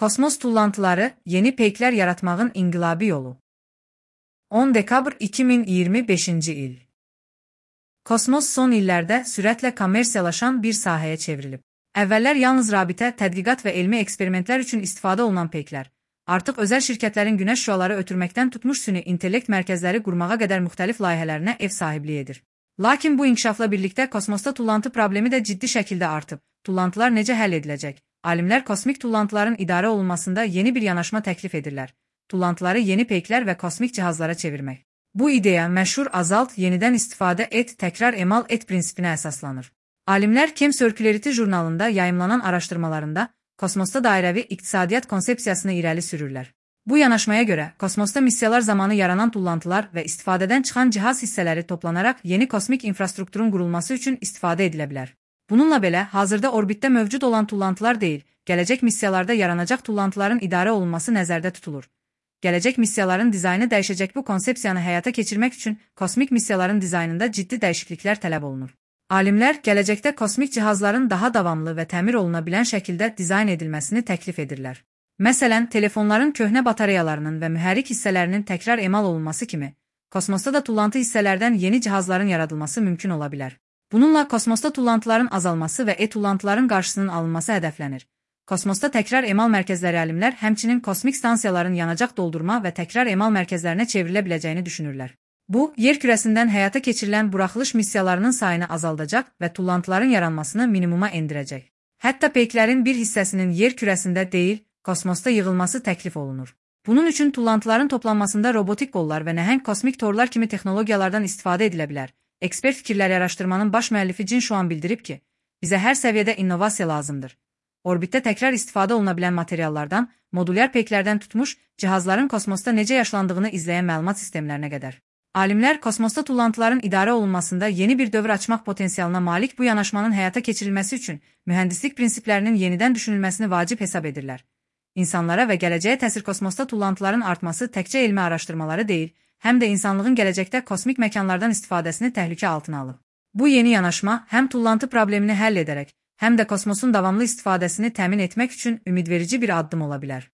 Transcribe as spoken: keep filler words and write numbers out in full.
Kosmos tullantıları, yeni peykler yaratmağın inqilabi yolu. on dekabr iki min iyirmi beşinci il. Kosmos son illərdə sürətlə kommersiyalaşan bir sahəyə çevrilib. Əvvəllər yalnız rabitə, tədqiqat və elmi eksperimentlər üçün istifadə olunan peyklər, artıq özəl şirkətlərin günəş şüaları ötürməkdən tutmuş süni intellekt mərkəzləri qurmağa qədər müxtəlif layihələrinə ev sahibliyi edir. Lakin bu inkişafla birlikdə kosmosda tullantı problemi də ciddi şəkildə artıb. Tullantılar necə həll ediləcək? Alimlər kosmik tullantıların idarə olunmasında yeni bir yanaşma təklif edirlər. Tullantıları yeni peyklər və kosmik cihazlara çevirmək. Bu ideya məşhur azalt, yenidən istifadə et, təkrar emal et prinsipinə əsaslanır. Alimlər Chem Circularity jurnalında yayımlanan araşdırmalarında kosmosda dairəvi iqtisadiyyat konsepsiyasını irəli sürürlər. Bu yanaşmaya görə kosmosda missiyalar zamanı yaranan tullantılar və istifadədən çıxan cihaz hissələri toplanaraq yeni kosmik infrastrukturun qurulması üçün istifadə edilə bilər. Bununla belə, hazırda orbitdə mövcud olan tullantılar deyil, gələcək missiyalarda yaranacaq tullantıların idarə olunması nəzərdə tutulur. Gələcək missiyaların dizaynı dəyişəcək. Bu konsepsiyanı həyata keçirmək üçün kosmik missiyaların dizaynında ciddi dəyişikliklər tələb olunur. Alimlər gələcəkdə kosmik cihazların daha davamlı və təmir oluna bilən şəkildə dizayn edilməsini təklif edirlər. Məsələn, telefonların köhnə batareyalarının və mühərrik hissələrinin təkrar emal olunması kimi, kosmosda da tullantı hissələrdən yeni cihazların yaradılması mümkün ola bilər. Bununla kosmosda tullantıların azalması və e-tullantıların qarşısının alınması hədəflənir. Kosmosda təkrar emal mərkəzləri alimlər həmçinin kosmik stansiyaların yanacaq doldurma və təkrar emal mərkəzlərinə çevrilə biləcəyini düşünürlər. Bu, yer kürəsindən həyata keçirilən buraxılış missiyalarının sayını azaldacaq və tullantıların yaranmasını minimuma endirəcək. Hətta peyklərin bir hissəsinin yer kürəsində deyil, kosmosda yığılması təklif olunur. Bunun üçün tullantıların toplanmasında robotik qollar və nəhəng kosmik torlar kimi texnologiyalardan istifadə edilə bilər. Ekspert fikirləri araşdırmanın baş müəllifi Jin Shuang bildirib ki, bizə hər səviyyədə innovasiya lazımdır. Orbitdə təkrar istifadə oluna bilən materiallardan, modulyar peyklərdən tutmuş, cihazların kosmosda necə yaşlandığını izləyən məlumat sistemlərinə qədər. Alimlər kosmosda tullantıların idarə olunmasında yeni bir dövr açmaq potensialına malik bu yanaşmanın həyata keçirilməsi üçün mühəndislik prinsiplərinin yenidən düşünülməsini vacib hesab edirlər. İnsanlara və gələcəyə təsir kosmosda tullantıların artması təkcə elmi araşdırmaları deyil, həm də insanlığın gələcəkdə kosmik məkanlardan istifadəsini təhlükə altına alır. Bu yeni yanaşma həm tullantı problemini həll edərək, həm də kosmosun davamlı istifadəsini təmin etmək üçün ümidverici bir addım ola bilər.